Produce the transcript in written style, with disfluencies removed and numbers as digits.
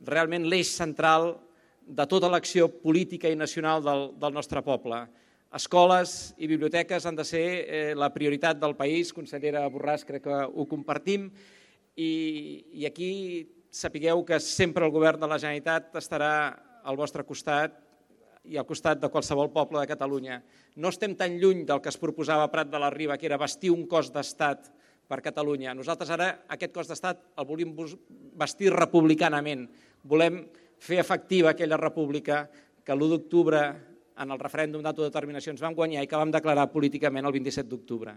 realment l'eix central de tota l'acció política i nacional del nostre poble. Escoles i biblioteques han de ser la prioritat del país. Consellera Borràs, crec que ho compartim. I aquí sapigueu que sempre el govern de la Generalitat estarà al vostre costat i al costat de qualsevol poble de Catalunya. No estem tan lluny del que es proposava a Prat de la Riba, que era bastir un cos d'estat per Catalunya. Nosaltres ara aquest cos d'estat el volem bastir republicanament. Volem fer efectiva aquella república que l'1 d'octubre en el referèndum d'autodeterminació ens vam guanyar i que vam declarar políticament el 27 d'octubre.